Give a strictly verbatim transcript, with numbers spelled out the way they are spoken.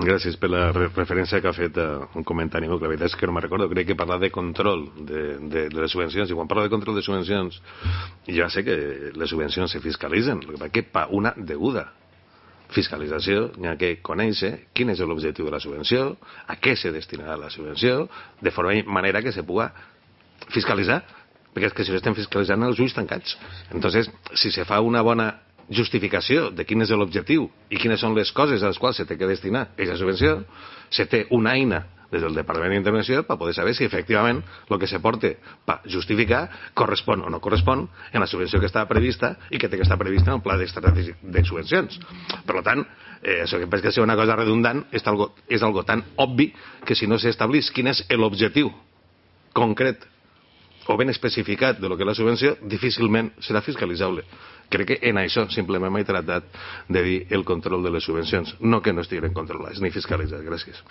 Gràcies per la referència que ha fet a un comentari meu, que la veritat és que no me'n recordo. Crec que parla de control de, de, de les subvencions, i quan parla de control de subvencions ja sé que les subvencions se fiscalitzen, el que passa que per una deguda fiscalització hi ha que conèixer quin és l'objectiu de la subvenció, a què se destinarà la subvenció, de forma manera que se puga fiscalitzar, perquè és que si l'estem fiscalitzant els ulls tancats. Entonces, si se fa una bona justificació de quin és l'objectiu i quines són les coses a les quals se té que destinar aquesta subvenció, se té una eina des del Departament d'Intervenció per poder saber si efectivament el que se porta per justificar correspon o no correspon en la subvenció que estava prevista i que té que estar prevista en el pla d'estratègic de subvencions. Per tant, eh, això que penso que és una cosa redundant, és algo, és algo tan obvi que si no s'establís quin és l'objectiu concret o ben especificat de lo que és la subvenció, difícilment serà fiscalitzable. Crec que en això simplement m'he tractat de dir el control de les subvencions, no que no estiguin controlades ni fiscalitzades. Gràcies.